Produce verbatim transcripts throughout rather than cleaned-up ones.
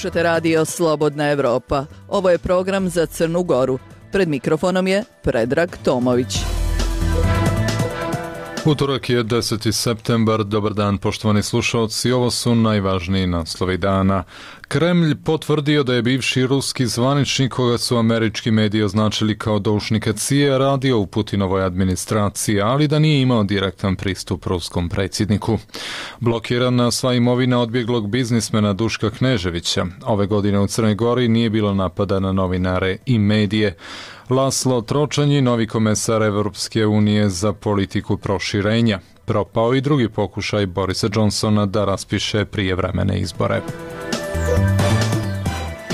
Slušate radio Slobodna Evropa. Ovo je program za Crnu Goru. Pred mikrofonom je Predrag Tomović. Utorak je deseti septembar. Dobar dan, poštovani slušalci. Ovo su najvažniji naslovi dana. Kremlj potvrdio da je bivši ruski zvaničnik, koga su američki mediji označili kao doušnika C I A, radio u Putinovoj administraciji, ali da nije imao direktan pristup ruskom predsjedniku. Blokirana sva imovina odbjeglog biznismena Duška Kneževića. Ove godine u Crnoj Gori nije bilo napada na novinare i medije. Laslo Tročanji, novi komesar Evropske unije za politiku proširenja. Propao i drugi pokušaj Borisa Johnsona da raspiše prijevremene izbore.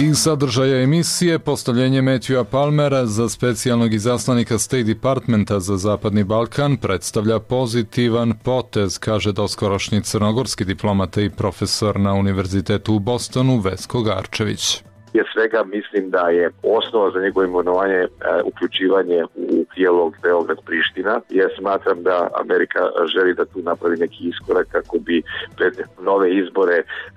Iz sadržaja emisije postavljenje Matthewa Palmera za specijalnog izaslanika State Departmenta za Zapadni Balkan predstavlja pozitivan potez, kaže doskorošnji crnogorski diplomata i profesor na Univerzitetu u Bostonu Vesko Garčević. Prije svega mislim da je osnova za njegovo imenovanje e, uključivanje u dijalog Beograd-Priština, jer smatram da Amerika želi da tu napravi neki iskorak kako bi pred nove izbore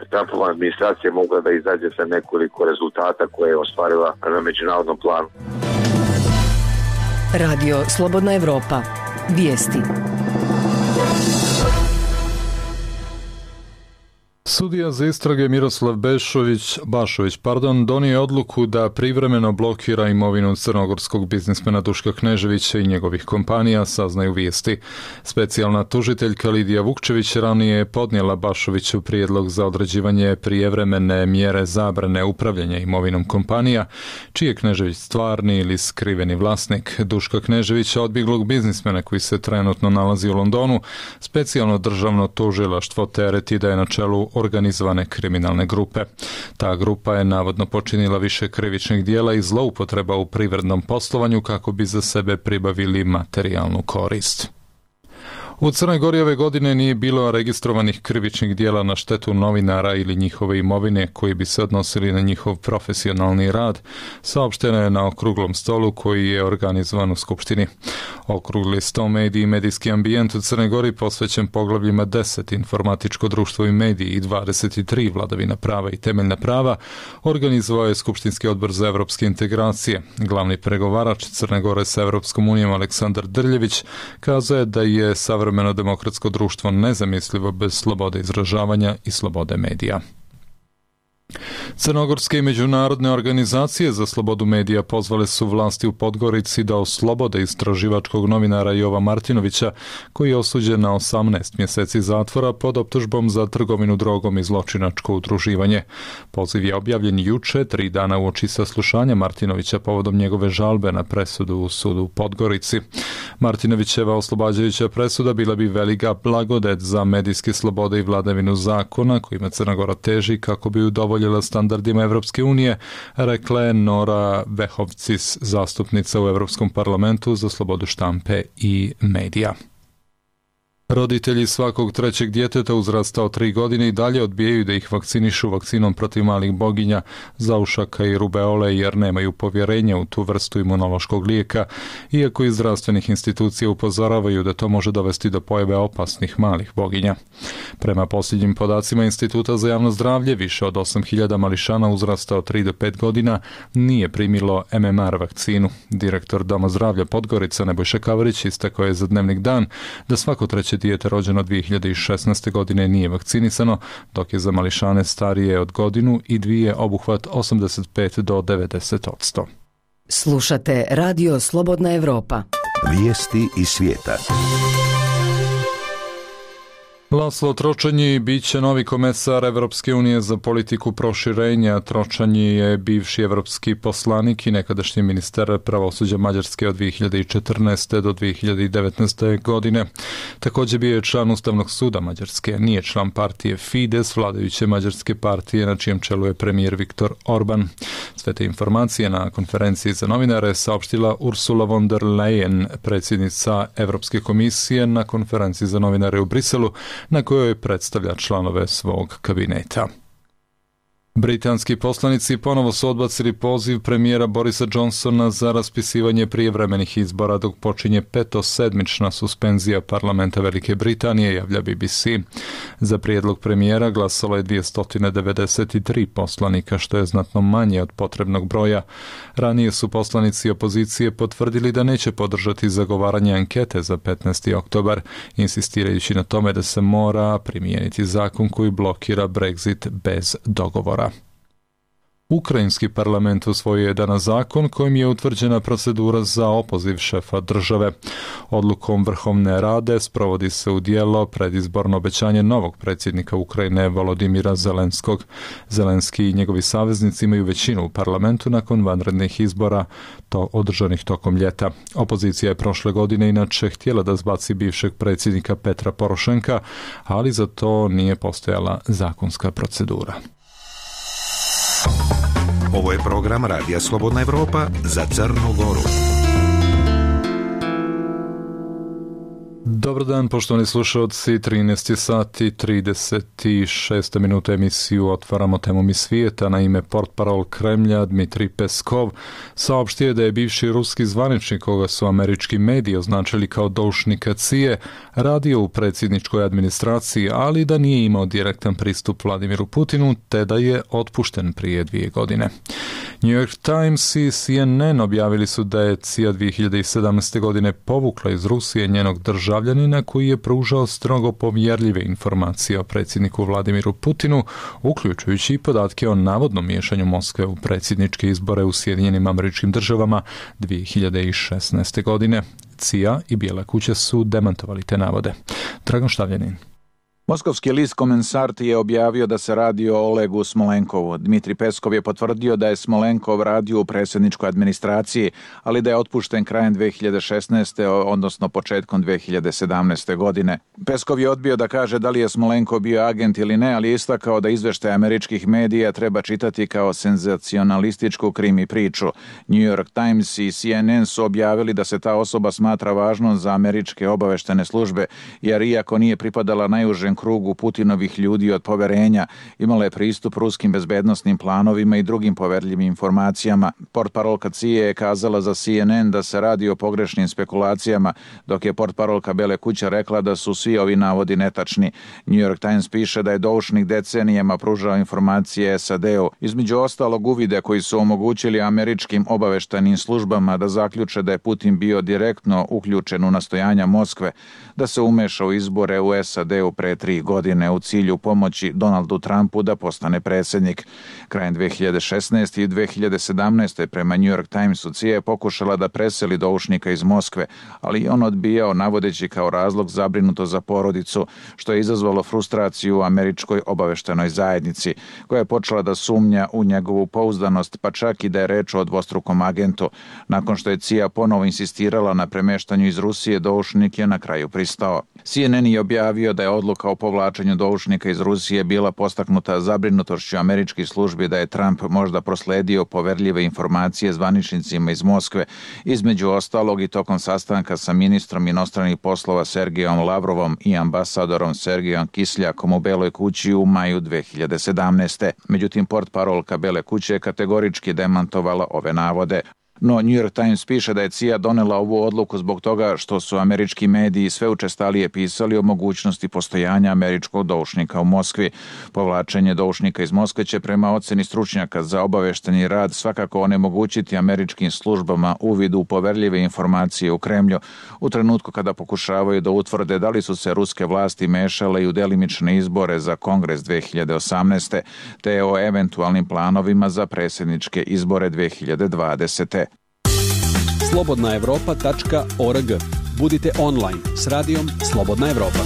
Trumpova administracija mogla da izađe sa nekoliko rezultata koje je ostvarila na međunarodnom planu. Radio Slobodna Evropa. Vijesti. Sudija za istrage Miroslav Bešović, Bašović pardon, donio je odluku da privremeno blokira imovinu crnogorskog biznismena Duška Kneževića i njegovih kompanija, saznaju vijesti. Specijalna tužiteljka Lidija Vukčević ranije je podnijela Bašoviću prijedlog za određivanje prijevremene mjere zabrane upravljanja imovinom kompanija, čiji je Knežević stvarni ili skriveni vlasnik. Duška Kneževića, odbjeglog biznismena koji se trenutno nalazi u Londonu, specijalno državno tužilaštvo tereti da je na čelu organizovane kriminalne grupe. Ta grupa je navodno počinila više krivičnih dijela i zloupotreba u privrednom poslovanju kako bi za sebe pribavili materijalnu korist. U Crnoj Gori ove godine nije bilo registrovanih krivičnih dijela na štetu novinara ili njihove imovine koji bi se odnosili na njihov profesionalni rad, saopšteno je na okruglom stolu koji je organizovan u Skupštini. Okrugli sto mediji i medijski ambijent u Crnoj Gori posvećen poglavljima deset informatičko društvo i mediji i dvadeset tri vladavina prava i temeljna prava organizovao je Skupštinski odbor za evropske integracije. Glavni pregovarač Crne Gore sa Evropskom unijom Aleksandar Drljević kazao je da je savremeno demokratsko društvo nezamislivo bez slobode izražavanja i slobode medija. Crnogorske i međunarodne organizacije za slobodu medija pozvale su vlasti u Podgorici da oslobode istraživačkog novinara Jova Martinovića, koji je osuđen na osamnaest mjeseci zatvora pod optužbom za trgovinu drogom i zločinačko udruživanje. Poziv je objavljen juče, tri dana uoči saslušanja Martinovića povodom njegove žalbe na presudu u sudu u Podgorici. Martinovićeva oslobađajuća presuda bila bi velika blagodet za medijske slobode i vladavinu zakona kojima Crna Gora teži kako bi udovoljila standardima Evropske unije, rekla je Nora Vehovcis, zastupnica u Evropskom parlamentu za slobodu štampe i medija. Roditelji svakog trećeg djeteta uzrasta od tri godine i dalje odbijaju da ih vakcinišu vakcinom protiv malih boginja, zaušaka i rubeole jer nemaju povjerenja u tu vrstu imunološkog lijeka, iako iz zdravstvenih institucija upozoravaju da to može dovesti do pojave opasnih malih boginja. Prema posljednjim podacima Instituta za javno zdravlje, više od osam hiljada mališana uzrasta od tri do pet godina nije primilo M M R vakcinu. Direktor Doma zdravlja Podgorica Nebojša Kavarić istakao je za Dnevnik Dan da svako treće dijete rođeno dvije hiljade šesnaeste. godine nije vakcinisano, dok je za mališane starije od godinu i dvije obuhvat osamdeset pet do devedeset odsto. Slušate Radio Slobodna Evropa. Vijesti iz svijeta. Laslo Tročanji bit će novi komesar Evropske unije za politiku proširenja. Tročanji je bivši evropski poslanik i nekadašnji ministar pravosuđa Mađarske od dvije hiljade četrnaeste. do dvije hiljade devetnaeste. godine. Također bio je član Ustavnog suda Mađarske. Nije član partije Fides, vladajuće mađarske partije na čijem čelu je premijer Viktor Orban. Sve te informacije na konferenciji za novinare saopštila Ursula von der Leyen, predsjednica Evropske komisije, na konferenciji za novinare u Briselu, na kojoj predstavlja članove svog kabineta. Britanski poslanici ponovo su odbacili poziv premijera Borisa Johnsona za raspisivanje prijevremenih izbora dok počinje petosedmična suspenzija parlamenta Velike Britanije, javlja B B C. Za prijedlog premijera glasalo je dvjesto devedeset tri poslanika, što je znatno manje od potrebnog broja. Ranije su poslanici opozicije potvrdili da neće podržati zagovaranje ankete za petnaesti oktobar, insistirajući na tome da se mora primijeniti zakon koji blokira Brexit bez dogovora. Ukrajinski parlament usvojio je danas zakon kojim je utvrđena procedura za opoziv šefa države. Odlukom Vrhovne rade sprovodi se u djelo predizborno obećanje novog predsjednika Ukrajine Volodimira Zelenskog. Zelenski i njegovi saveznici imaju većinu u parlamentu nakon vanrednih izbora to održanih tokom ljeta. Opozicija je prošle godine inače htjela da zbaci bivšeg predsjednika Petra Porošenka, ali za to nije postojala zakonska procedura. Ovo je program Radija Slobodna Evropa za Crnu Goru. Dobar dan, poštovani slušalci, trinaest sati trideset šest minuta emisiju otvaramo temom iz svijeta. Na ime portparol Kremlja Dmitrij Peskov saopštio da je bivši ruski zvaničnik, koga su američki mediji označili kao doušnika C I A, radio u predsjedničkoj administraciji, ali da nije imao direktan pristup Vladimiru Putinu, te da je otpušten prije dvije godine. New York Times i C N N objavili su da je C I A dvije hiljade sedamnaeste. godine povukla iz Rusije njenog državljanina koji je pružao strogo povjerljive informacije o predsjedniku Vladimiru Putinu, uključujući i podatke o navodnom miješanju Moskve u predsjedničke izbore u Sjedinjenim Američkim Državama dvije hiljade šesnaeste. godine. C I A i Bijela kuća su demantovali te navode. Dragan Štavljanin. Moskovski list Komensart je objavio da se radi o Olegu Smolenkovu. Dmitrij Peskov je potvrdio da je Smolenkov radio u predsjedničkoj administraciji, ali da je otpušten krajem dvije hiljade šesnaeste. odnosno početkom dvije hiljade sedamnaeste. godine. Peskov je odbio da kaže da li je Smolenkov bio agent ili ne, ali je istakao da izveštaj američkih medija treba čitati kao senzacionalističku krimi priču. New York Times i C N N su objavili da se ta osoba smatra važnom za američke obaveštene službe, jer iako nije pripadala najužem krugu Putinovih ljudi od poverenja, imala je pristup ruskim bezbednosnim planovima i drugim poverljivim informacijama. Portparolka C I A je kazala za C N N da se radi o pogrešnim spekulacijama, dok je portparolka Bele kuće rekla da su svi ovi navodi netačni. New York Times piše da je doušnik decenijama pružao informacije S A D-u, između ostalog uvide koji su omogućili američkim obaveštajnim službama da zaključe da je Putin bio direktno uključen u nastojanja Moskve da se umeša u izbore u S A D-u pre tri godine u cilju pomoći Donaldu Trumpu da postane predsjednik. Krajem dvije hiljade šesnaeste. i dvije hiljade sedamnaeste. prema New York Timesu C I A je pokušala da preseli doušnika iz Moskve, ali on odbijao navodeći kao razlog zabrinuto za porodicu, što je izazvalo frustraciju u američkoj obaveštenoj zajednici, koja je počela da sumnja u njegovu pouzdanost, pa čak i da je reč o dvostrukom agentu. Nakon što je C I A ponovo insistirala na premeštanju iz Rusije, doušnik je na kraju pristao. C N N je objavio da je odluka o povlačenju doušnika iz Rusije bila postaknuta zabrinutošću američkih službi da je Trump možda prosledio poverljive informacije zvaničnicima iz Moskve, između ostalog i tokom sastanka sa ministrom inostranih poslova Sergejom Lavrovom i ambasadorom Sergejom Kisljakom u Beloj kući u maju dvije hiljade sedamnaeste. Međutim, portparolka Bele kuće je kategorički demantovala ove navode. No, New York Times piše da je C I A donela ovu odluku zbog toga što su američki mediji sve učestalije pisali o mogućnosti postojanja američkog doušnika u Moskvi. Povlačenje doušnika iz Moskve će prema oceni stručnjaka za obavešteni rad svakako onemogućiti američkim službama uvid u poverljive informacije u Kremlju u trenutku kada pokušavaju da utvrde da li su se ruske vlasti mešale i u delimične izbore za Kongres dvije hiljade osamnaeste. te o eventualnim planovima za predsjedničke izbore dvije hiljade dvadesete. slobodna evropa tačka org. Budite online s radijom Slobodna Evropa.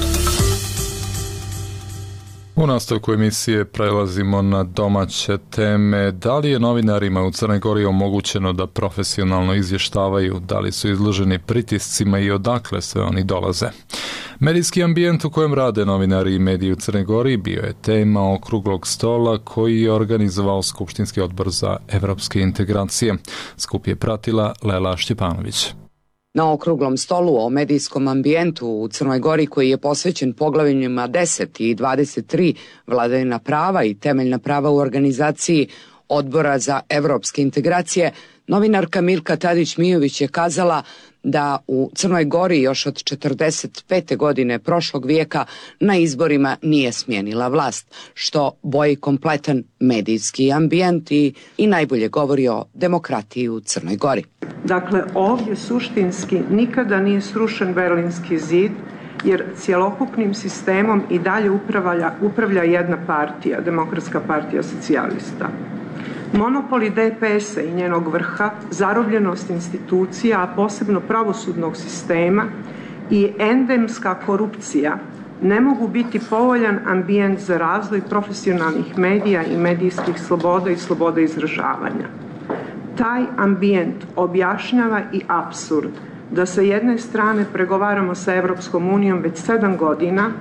U nastavku emisije prelazimo na domaće teme. Da li je novinarima u Crnoj Gori omogućeno da profesionalno izvještavaju, da li su izloženi pritiscima i odakle sve oni dolaze? Medijski ambijent u kojem rade novinari i mediji u Crnoj Gori bio je tema okruglog stola koji je organizovao Skupštinski odbor za evropske integracije. Skup je pratila Lela Štjepanović. Na okruglom stolu o medijskom ambijentu u Crnoj Gori, koji je posvećen poglavljima deset i dvadeset tri vladavina prava i temeljna prava u organizaciji Odbora za evropske integracije, novinarka Milka Tadić-Mijović je kazala da u Crnoj Gori još od četrdeset pete godine prošlog vijeka na izborima nije smijenila vlast, što boji kompletan medijski ambijent i, i najbolje govori o demokratiji u Crnoj Gori. Dakle, ovdje suštinski nikada nije srušen Berlinski zid, jer cjelokupnim sistemom i dalje upravlja, upravlja jedna partija, Demokratska partija socijalista. Monopoli de pe esa i njenog vrha, zarobljenost institucija, a posebno pravosudnog sistema i endemska korupcija ne mogu biti povoljan ambijent za razvoj profesionalnih medija i medijskih sloboda i sloboda izražavanja. Taj ambijent objašnjava i apsurd da sa jedne strane pregovaramo sa Evropskom unijom već sedam godina,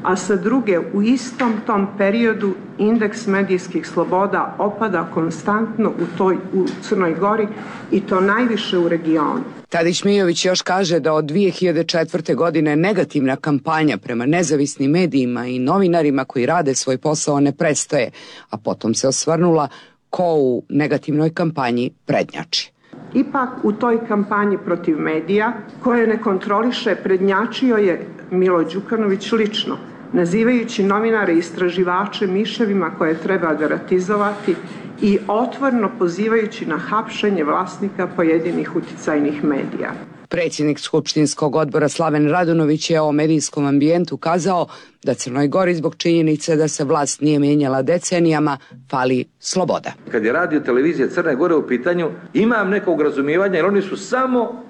a sa druge u istom tom periodu indeks medijskih sloboda opada konstantno u toj u Crnoj Gori i to najviše u regionu. Tadić-Mijović još kaže da od dvije hiljade četvrte. godine negativna kampanja prema nezavisnim medijima i novinarima koji rade svoj posao ne prestaje, a potom se osvrnula ko u negativnoj kampanji prednjači. Ipak u toj kampanji protiv medija, koje ne kontroliše, prednjačio je Milo Đukanović lično, nazivajući novinare i istraživače miševima koje treba deratizovati i otvoreno pozivajući na hapšenje vlasnika pojedinih uticajnih medija. Predsjednik Skupštinskog odbora Slaven Radunović je o medijskom ambijentu kazao da Crnoj Gori zbog činjenice da se vlast nije mijenjala decenijama fali sloboda. Kad je radio televizija Crne Gore u pitanju, imam nekog razumijevanja jer oni su samo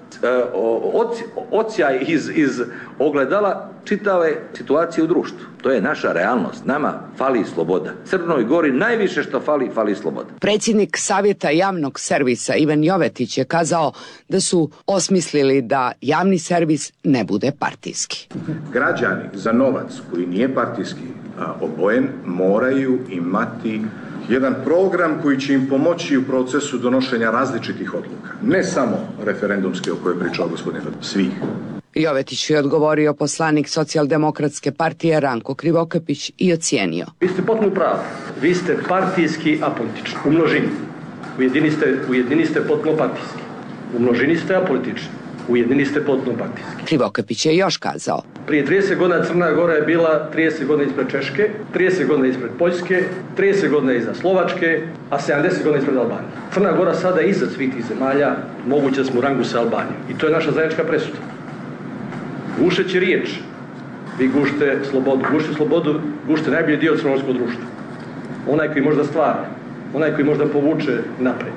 ocijaj iz, iz ogledala čitave situacije u društvu. To je naša realnost. Nama fali sloboda. Crnoj Gori najviše što fali, fali sloboda. Predsjednik Savjeta javnog servisa Ivan Jovetić je kazao da su osmislili da javni servis ne bude partijski. Građani za novac koji nije partijski obojen moraju imati jedan program koji će im pomoći u procesu donošenja različitih odluka. Ne samo referendumske o kojoj je pričao gospodin, svih. Jovetić je odgovorio poslanik Socijaldemokratske partije Ranko Krivokapić i ocijenio. Vi ste potpuno pravi. Vi ste partijski apolitični. U množini. U jedini ste, u jedini ste potpuno partijski. U množini ste apolitični. U jedini ste potpuno partijski. Krivokapić je još kazao. Prije trideset godina Crna Gora je bila trideset godina ispred Češke, trideset godina ispred Poljske, trideset godina iza Slovačke, a sedamdeset godina ispred Albanije. Crna Gora sada je iza svih tih zemalja, moguće da smo u rangu sa Albanijom. I to je naša zajednička presuda. Gušeći riječ, vi gušite slobodu. Gušite slobodu, gušite najbolji dio crnogorskog društva. Onaj koji možda stvara, onaj koji možda povuče napred.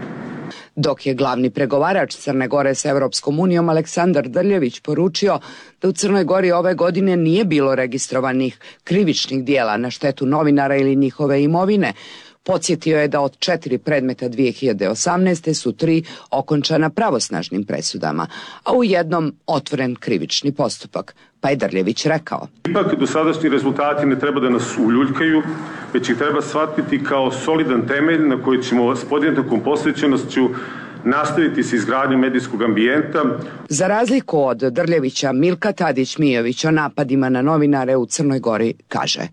Dok je glavni pregovarač Crne Gore sa Evropskom unijom Aleksandar Drljević poručio da u Crnoj Gori ove godine nije bilo registrovanih krivičnih dijela na štetu novinara ili njihove imovine, podsjetio je da od četiri predmeta dvije hiljade osamnaeste. su tri okončana pravosnažnim presudama, a u jednom otvoren krivični postupak. Pa je Drljević rekao. Ipak dosadašnji rezultati ne treba da nas uljuljkaju, već ih treba shvatiti kao solidan temelj na koji ćemo s podjednakom posvećenošću nastaviti se izgradnjom medijskog ambijenta. Za razliku od Drljevića, Milka Tadić-Mijović o napadima na novinare u Crnoj Gori kaže.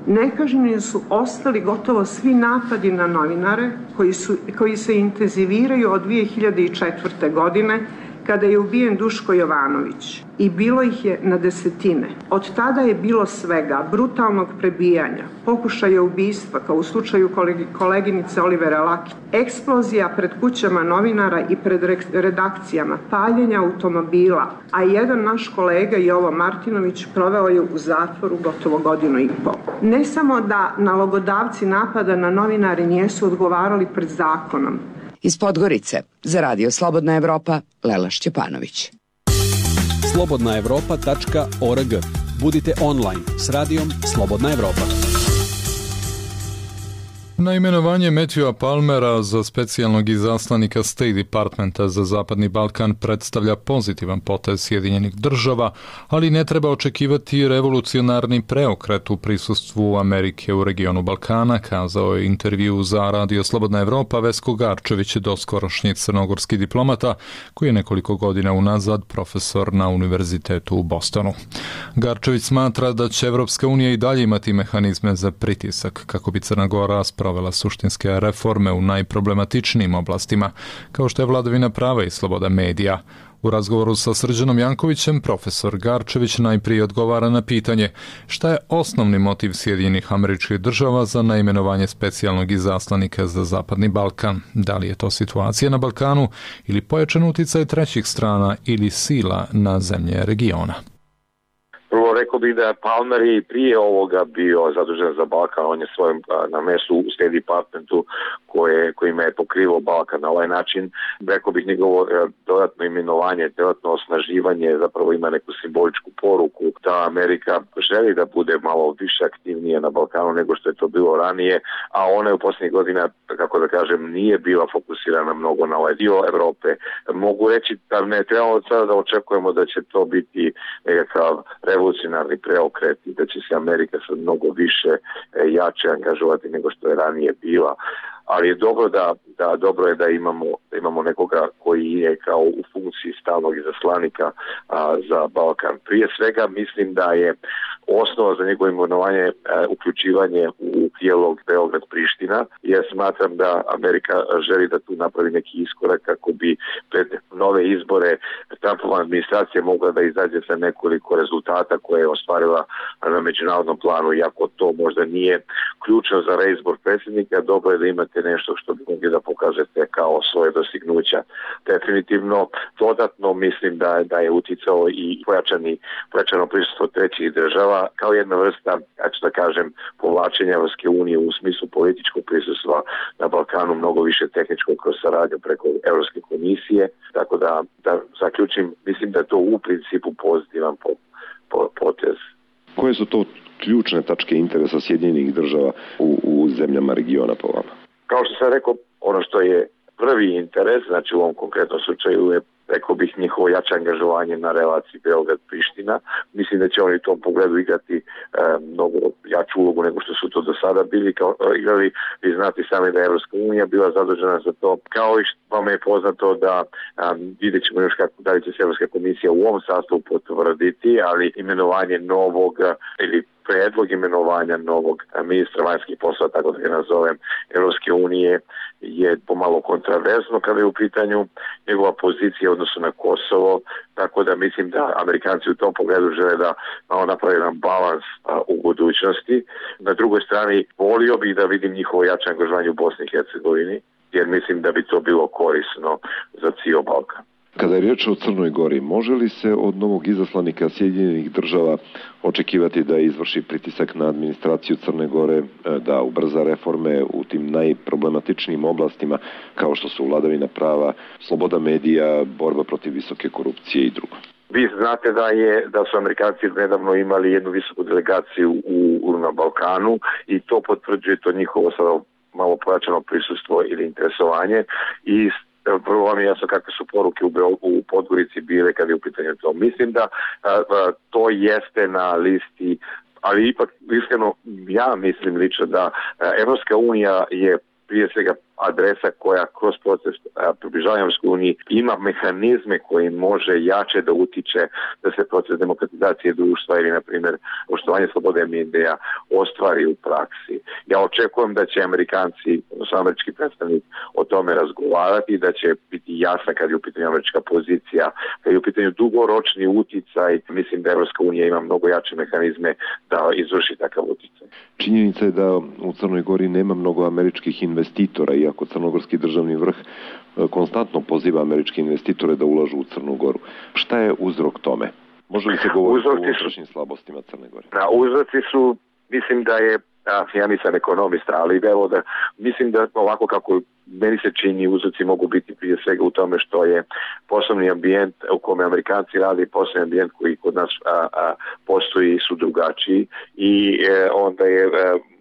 Nekažnjeni su ostali gotovo svi napadi na novinare koji, su, koji se intenziviraju od dvije hiljade četvrte. godine kada je ubijen Duško Jovanović i bilo ih je na desetine. Od tada je bilo svega, brutalnog prebijanja, pokušaja ubistva kao u slučaju koleginice Olivera Laki, eksplozija pred kućama novinara i pred redakcijama, paljenja automobila, a jedan naš kolega Jovo Martinović proveo je u zatvoru gotovo godinu i pol. Ne samo da nalogodavci napada na novinare nijesu odgovarali pred zakonom. Iz Podgorice, za Radio Slobodna Evropa, Lela Šćepanović. slobodna evropa tačka org. Budite online s radijom Slobodna Evropa. Na imenovanje Matthewa Palmera za specijalnog izaslanika State Departmenta za Zapadni Balkan predstavlja pozitivan potez Sjedinjenih država, ali ne treba očekivati revolucionarni preokret u prisustvu Amerike u regionu Balkana, kazao je intervju za Radio Slobodna Evropa Vesko Garčević, doskorošnji crnogorski diplomata, koji je nekoliko godina unazad profesor na univerzitetu u Bostonu. Garčević smatra da će Evropska unija i dalje imati mehanizme za pritisak kako bi Crna Gora sprovela suštinske reforme u najproblematičnijim oblastima, kao što je vladavina prava i sloboda medija. U razgovoru sa Srđanom Jankovićem, profesor Garčević najprije odgovara na pitanje šta je osnovni motiv Sjedinjenih Američkih Država za naimenovanje specijalnog izaslanika za Zapadni Balkan. Da li je to situacija na Balkanu ili pojačan uticaj trećih strana ili sila na zemlje regiona? Prvo rekao bih da Palmer i prije ovoga bio zadužen za Balkan, on je svojim na mestu u State Departmentu koje, kojima je pokrivao Balkan na ovaj način. Rekao bih njegovo dodatno imenovanje, dodatno osnaživanje zapravo ima neku simboličku poruku da Amerika želi da bude malo više aktivnije na Balkanu nego što je to bilo ranije, a ona je u posljednjih godina, kako da kažem, nije bila fokusirana mnogo na ovaj dio Evrope. Mogu reći da ne trebamo od sada da očekujemo da će to biti nekakav revolucionarni preokret i da će se Amerika sad mnogo više jače angažovati nego što je ranije bila. Ali je dobro da, da dobro je da imamo da imamo nekoga koji je kao u funkciji stalnog izaslanika a, za Balkan. Prije svega mislim da je osnova za njegovo imenovanje a, uključivanje u dijalog Beograd-Priština, jer smatram da Amerika želi da tu napravi neki iskorak kako bi pred nove izbore Trumpova administracija mogla da izađe sa nekoliko rezultata koje je ostvarila na međunarodnom planu, iako to možda nije ključno za reizbor predsjednika, dobro je da imate nešto što bi mogli da pokažete kao svoje dostignuća. Definitivno, dodatno mislim da, da je uticao i pojačani, pojačano prisustvo trećih država kao jedna vrsta, ja ću da kažem, povlačenja Evropske unije u smislu političkog prisustva na Balkanu, mnogo više tehničkog kroz saradnju preko Evropske komisije. Tako da, da zaključim, mislim da je to u principu pozitivan po, po, potez. Koje su to ključne tačke interesa Sjedinjenih država u, u zemljama regiona po vama? Kao što sam rekao, ono što je prvi interes, znači u ovom konkretnom slučaju je, rekao bih, njihovo jače angažovanje na relaciji Beograd-Priština. Mislim da će oni u tom pogledu igrati e, mnogo jaču ulogu nego što su to do sada bili kao, igrali. Vi znate sami da je Evropska unija bila zadužena za to. Kao i što vam je poznato da a, vidjet ćemo još kako da li će se Evropska komisija u ovom sastavu potvrditi, ali imenovanje novog ili predlog imenovanja novog ministra vanjskih poslova, tako da ga nazovem, Evropske unije je pomalo kontraverzno kada je u pitanju njegova pozicija u odnosu na Kosovo, tako da mislim da Amerikanci u tom pogledu žele da malo napravi jedan balans a, u budućnosti. Na drugoj strani volio bih da vidim njihovo jače angažovanje u Bosni i Hercegovini, jer mislim da bi to bilo korisno za cijel Balkan. Kada je riječ o Crnoj Gori, može li se od novog izaslanika Sjedinjenih država očekivati da izvrši pritisak na administraciju Crne Gore, da ubrza reforme u tim najproblematičnijim oblastima kao što su vladavina prava, sloboda medija, borba protiv visoke korupcije i drugo? Vi znate da je da su Amerikanci nedavno imali jednu visoku delegaciju u, u na Balkanu i to potvrđuje to njihovo sada malo pojačano prisustvo ili interesovanje i prvo vam je jasno kakve su poruke u, u Podgorici bile kada je u pitanju to. Mislim da a, a, to jeste na listi, ali ipak iskreno ja mislim lično da Evropska unija je prije svega adresa koja kroz proces približavanja Evropskoj uniji ima mehanizme koji može jače da utiče da se proces demokratizacije društva ili, na primjer, poštovanje slobode medija ostvari u praksi. Ja očekujem da će Amerikanci, odnosno američki predstavnik, o tome razgovarati, da će biti jasna kad je u pitanju američka pozicija, kad je u pitanju dugoročni uticaj. Mislim da Evropska unija ima mnogo jače mehanizme da izvrši takav uticaj. Činjenica je da u Crnoj Gori nema mnogo američkih investitora, iako crnogorski državni vrh konstantno poziva američke investitore da ulažu u Crnu Goru. Šta je uzrok tome? Može li se govoriti o unutrašnjim slabostima Crne Gore? Da, uzroci su, mislim da je, a, ja nisam ekonomista, ali evo da, mislim da ovako kako meni se čini, uzroci mogu biti prije svega u tome što je poslovni ambijent u kome Amerikanci rade i poslovni ambijent koji kod nas a, a, postoji su drugačiji i e, onda je e,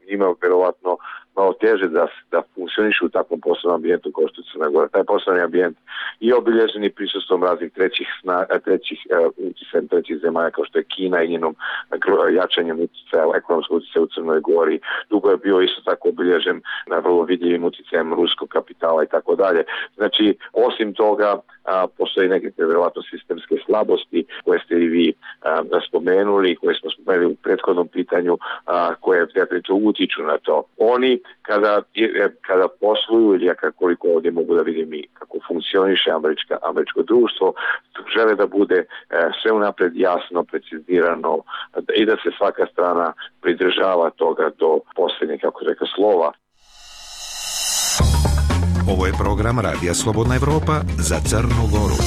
imao verovatno malo teže da, da funkcionišu u takvom poslovnom ambijentu kao što je Crna Gora. Taj poslovni ambijent je obilježen i prisustvom raznih trećih, sna, trećih uh, utjecaja trećih zemalja kao što je Kina i njenom uh, jačanjem utjecaja, ekonomskog utjecaja u Crnoj Gori. Dugo je bio isto tako obilježen na vrlo vidljivim utjecajem ruskog kapitala i tako dalje. Znači, osim toga, a, postoji neke vjerovatno sistemske slabosti koje ste i vi a, spomenuli, koje smo spomenuli u prethodnom pitanju, a, koje to utiču na to. Oni kada, kada posluju ili koliko ovdje mogu da vidim i kako funkcioniše američka, američko društvo, žele da bude e, sve unapred jasno, precizirano i da se svaka strana pridržava toga do posljednjeg, kako rekao, slova. Ovo je program Radija Slobodna Evropa za Crnu Goru.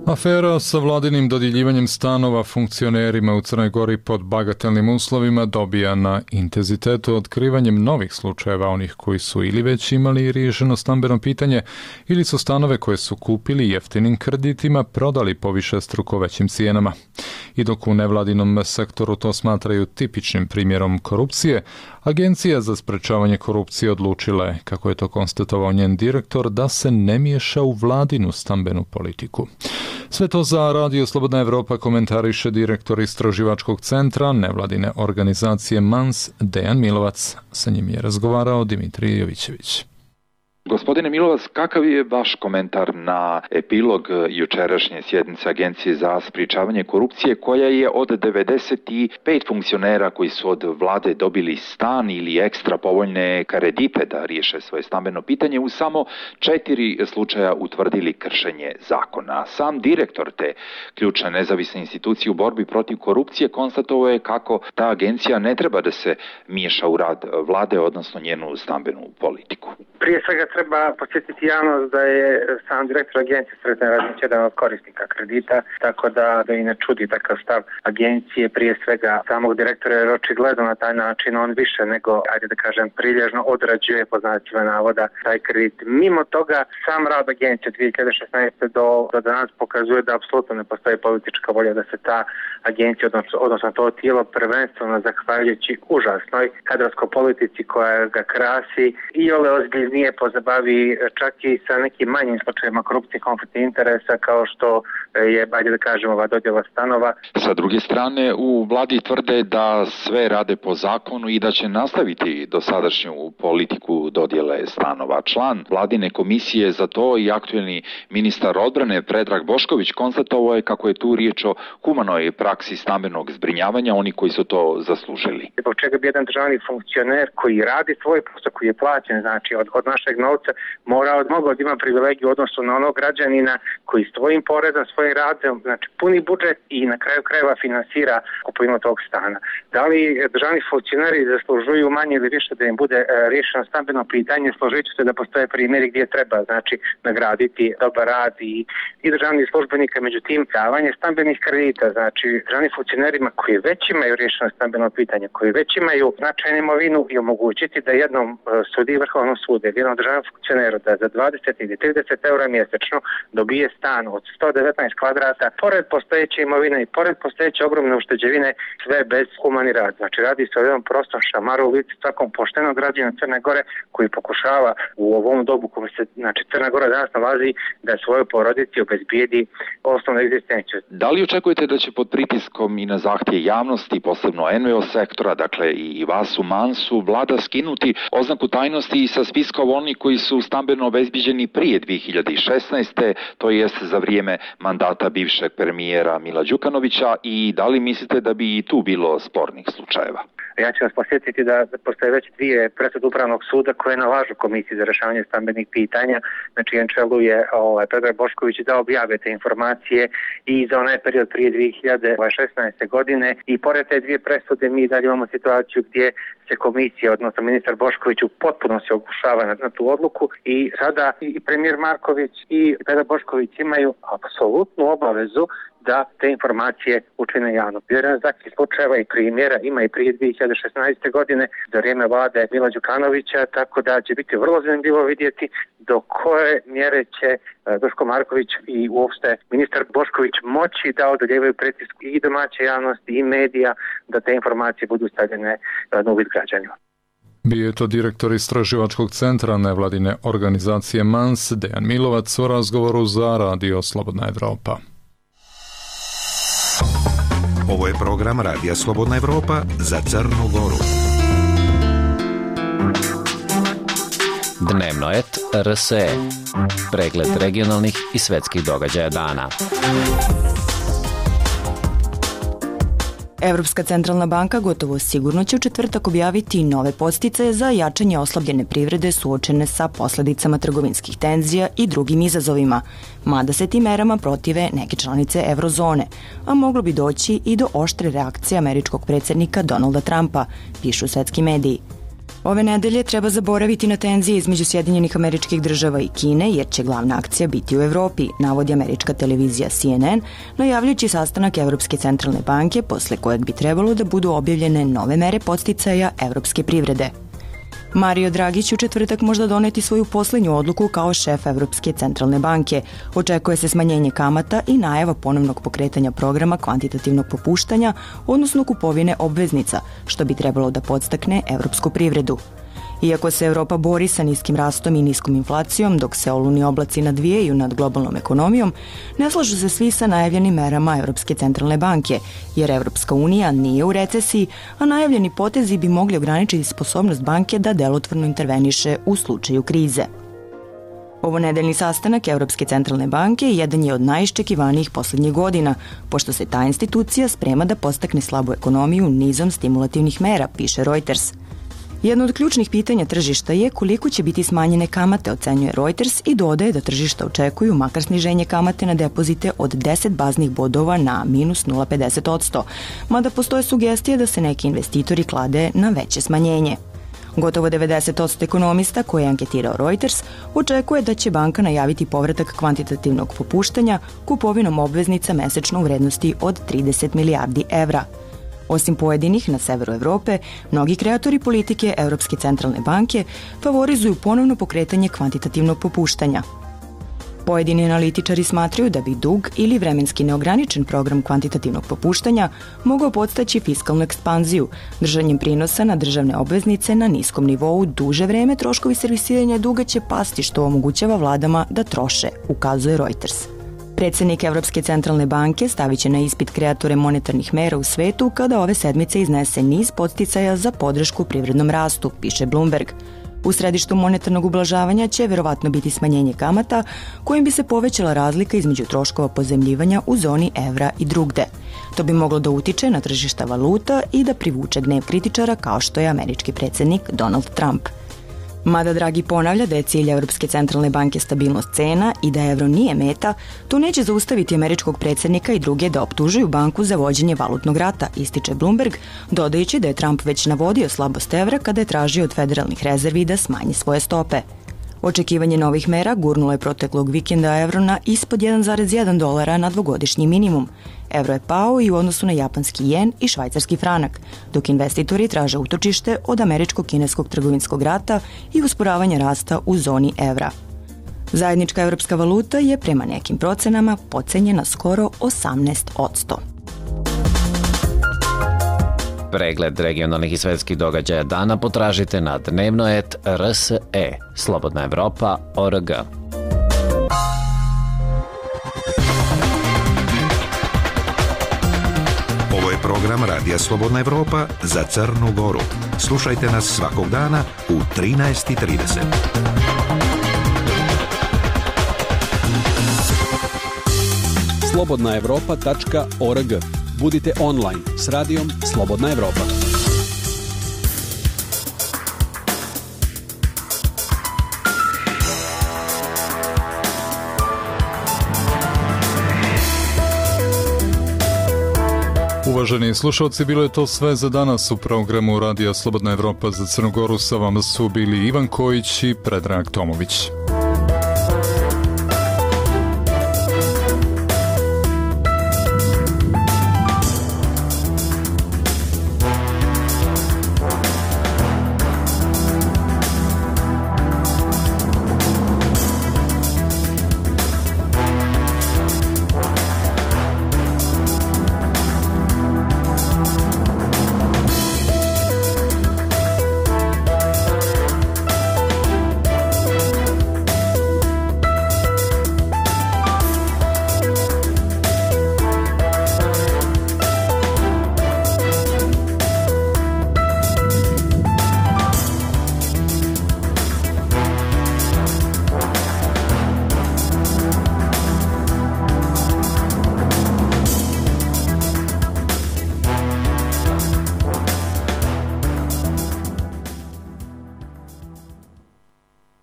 Afera sa vladinim dodjeljivanjem stanova funkcionerima u Crnoj Gori pod bagatelnim uslovima dobija na intenzitetu otkrivanjem novih slučajeva onih koji su ili već imali riješeno stambeno pitanje ili su stanove koje su kupili jeftinim kreditima prodali po višestruko većim cijenama. I dok u nevladinom sektoru to smatraju tipičnim primjerom korupcije, Agencija za sprečavanje korupcije odlučila je, kako je to konstatovao njen direktor, da se ne miješa u vladinu stambenu politiku. Sve to za Radio Slobodna Evropa komentariše direktor istraživačkog centra nevladine organizacije Mans Dejan Milovac. Sa njim je razgovarao Dimitrij Jovićević. Gospodine Milovac, kakav je vaš komentar na epilog jučerašnje sjednice Agencije za sprečavanje korupcije, koja je od devedeset pet funkcionera koji su od vlade dobili stan ili ekstra povoljne kredite da riješe svoje stambeno pitanje, u samo četiri slučaja utvrdili kršenje zakona. Sam direktor te ključne nezavisne institucije u borbi protiv korupcije konstatovao je kako ta agencija ne treba da se miješa u rad vlade, odnosno njenu stambenu politiku. Prije svega treba podsjetiti javnost da je sam direktor agencije Sretan Radnić jedan od korisnika kredita, tako da, da i ne čudi takav stav agencije, prije svega samog direktora, jer očigledno na taj način on više nego, ajde da kažem, prilježno odrađuje, po znacima navoda, taj kredit. Mimo toga, sam rad agencije od dvije hiljade šesnaeste do, do danas pokazuje da apsolutno ne postoji politička volja da se ta agencija, odnosno, odnosno to tijelo, prvenstveno zahvaljujući užasnoj kadrovskoj politici koja ga krasi i ole ozbiljnije pozabavi čak i sa nekim manjim slučajevima korupcije, konflikta interesa, kao što je, ajde da kažemo, ova dodjela stanova. Sa druge strane, u vladi tvrde da sve rade po zakonu i da će nastaviti dosadašnju politiku dodjele stanova. Član vladine komisije za to i aktuelni ministar odbrane Predrag Bošković konstatovao je kako je tu riječ o humanoj praksi stambenog zbrinjavanja, oni koji su to zaslužili. Zbog čega bi jedan državni funkcioner koji radi svoj posao, koji je plaćen, znači od, od našeg novca, mora mogao da ima privilegiju u odnosu na onog građanina koji svojim porezom, svojim radom, znači puni budžet i na kraju krajeva finansira kupovinu tog stana. Da li državni funkcioneri zaslužuju manje ili više da im bude e, riješeno stambeno pitanje? Složit ću se da postoje primjeri gdje treba, znači, nagraditi dobar rad i, i državnih službenika, međutim, davanje stambenih kredita, znači državnim funkcionerima koji već imaju riješeno stambeno pitanje, koji već imaju značajnu imovinu i omogućiti da jednom e, sudiji Vrhovnog suda ili jednom državnom funkcioneru da za dvadeset ili trideset eura mjesečno dobije stan od sto devetnaest kvadrata, pored postojeće imovine i pored postojeće ogromne ušteđevine, sve bez humani rad. Znači radi se o jednom prostom šamaru u licu svakom poštenog građana Crne Gore koji pokušava u ovom dobu kome se, znači, Crna Gora danas nalazi, da svojoj porodici obezbijedi osnovnu egzistenciju. Da li očekujete da će pod pritiskom i na zahtje javnosti, posebno en ve o sektora, dakle i vas u Mansu, vlada skinuti oznaku tajnosti i sa spiska oni koji su stambeno obezbiđeni prije dvije hiljade šesnaeste, to jest za vrijeme mandata bivšeg premijera Mila Đukanovića, i da li mislite da bi i tu bilo spornih slučajeva? Ja ću vas posjetiti da postoje već dvije presude Upravnog suda koje nalažu Komisiji za rješavanje stambenih pitanja, na čijem čelu je ovaj, Predrag Bošković, da objave te informacije i za onaj period prije dvije hiljade šesnaeste godine. I pored te dvije presude mi dalje imamo situaciju gdje se komisija, odnosno ministar Bošković, u potpunosti oglušava na, na tu odluku i sada i premijer Marković i Predrag Bošković imaju apsolutnu obavezu da te informacije učine javno. Vjerujem za takvih slučajeva i primjera ima i prije dvije hiljade šesnaeste godine za vrijeme vlade Mila Đukanovića, tako da će biti vrlo zanimljivo vidjeti do koje mjere će Duško Marković i uopšte ministar Bošković moći da odoljevaju pritisku i domaće javnosti i medija da te informacije budu stavljene na uvid građanima. Bio je to direktor istraživačkog centra nevladine organizacije MANS Dejan Milovac u razgovoru za Radio Slobodna Evropa. Ovo je program Radija Slobodna Evropa za Crnu Goru. Dnevno et R S E. Pregled regionalnih i svetskih događaja dana. Evropska centralna banka gotovo sigurno će u četvrtak objaviti nove podsticaje za jačanje oslabljene privrede suočene sa posledicama trgovinskih tenzija i drugim izazovima, mada se tim merama protive neke članice eurozone, a moglo bi doći i do oštre reakcije američkog predsjednika Donalda Trumpa, pišu svetski mediji. Ove nedelje treba zaboraviti na tenzije između Sjedinjenih Američkih Država i Kine, jer će glavna akcija biti u Evropi, navodi američka televizija C N N, najavljujući sastanak Evropske centralne banke, posle kojeg bi trebalo da budu objavljene nove mere podsticaja evropske privrede. Mario Draghi će u četvrtak možda doneti svoju poslednju odluku kao šef Evropske centralne banke. Očekuje se smanjenje kamata i najava ponovnog pokretanja programa kvantitativnog popuštanja, odnosno kupovine obveznica, što bi trebalo da podstakne evropsku privredu. Iako se Evropa bori sa niskim rastom i niskom inflacijom, dok se olujni oblaci nadvijaju nad globalnom ekonomijom, ne slažu se svi sa najavljenim merama Evropske centralne banke, jer Evropska unija nije u recesiji, a najavljeni potezi bi mogli ograničiti sposobnost banke da delotvorno interveniše u slučaju krize. Ovo nedeljni sastanak Evropske centralne banke jedan je od najiščekivanijih poslednjih godina, pošto se ta institucija sprema da podstakne slabu ekonomiju nizom stimulativnih mera, piše Reuters. Jedno od ključnih pitanja tržišta je koliko će biti smanjene kamate, ocenjuje Reuters, i dodaje da tržišta očekuju makar sniženje kamate na depozite od deset baznih bodova na minus nula zarez pedeset posto, mada postoje sugestije da se neki investitori klade na veće smanjenje. Gotovo devedeset posto ekonomista koje je anketirao Reuters očekuje da će banka najaviti povratak kvantitativnog popuštanja kupovinom obveznica mesečno u vrednosti od trideset milijardi evra. Osim pojedinih na severu Evrope, mnogi kreatori politike Evropske centralne banke favorizuju ponovno pokretanje kvantitativnog popuštanja. Pojedini analitičari smatraju da bi dug ili vremenski neograničen program kvantitativnog popuštanja mogao podstaći fiskalnu ekspanziju. Držanjem prinosa na državne obveznice na niskom nivou duže vreme troškovi servisiranja duga će pasti, što omogućava vladama da troše, ukazuje Reuters. Predsjednik Evropske centralne banke stavit će na ispit kreatore monetarnih mera u svetu kada ove sedmice iznese niz podsticaja za podršku privrednom rastu, piše Bloomberg. U središtu monetarnog ublažavanja će verovatno biti smanjenje kamata, kojim bi se povećala razlika između troškova pozemljivanja u zoni evra i drugde. To bi moglo da utiče na tržišta valuta i da privuče gnev kritičara kao što je američki predsjednik Donald Trump. Mada Draghi ponavlja da je cilj Evropske centralne banke stabilnost cena i da evro nije meta, to neće zaustaviti američkog predsjednika i druge da optužuju banku za vođenje valutnog rata, ističe Bloomberg, dodajući da je Trump već navodio slabost evra kada je tražio od federalnih rezervi da smanji svoje stope. Očekivanje novih mera gurnulo je proteklog vikenda evro na ispod jedan zarez jedan dolara na dvogodišnji minimum. Evro je pao i u odnosu na japanski jen i švajcarski franak, dok investitori traže utočište od američko-kineskog trgovinskog rata i usporavanja rasta u zoni evra. Zajednička evropska valuta je prema nekim procenama pocenjena skoro osamnaest posto. Pregled regionalnih i svetskih događaja dana potražite na dnevno et R S E, Slobodna Evropa, O R G. Ovo je program Radija Slobodna Evropa za Crnu Goru. Slušajte nas svakog dana u trinaest i trideset. slobodna evropa tačka org. Budite online s radijom Slobodna Evropa. Uvaženi slušalci, bilo je to sve za danas u programu Radija Slobodna Evropa za Crnu Goru. Sa vama su bili Ivan Kojić i Predrag Tomović.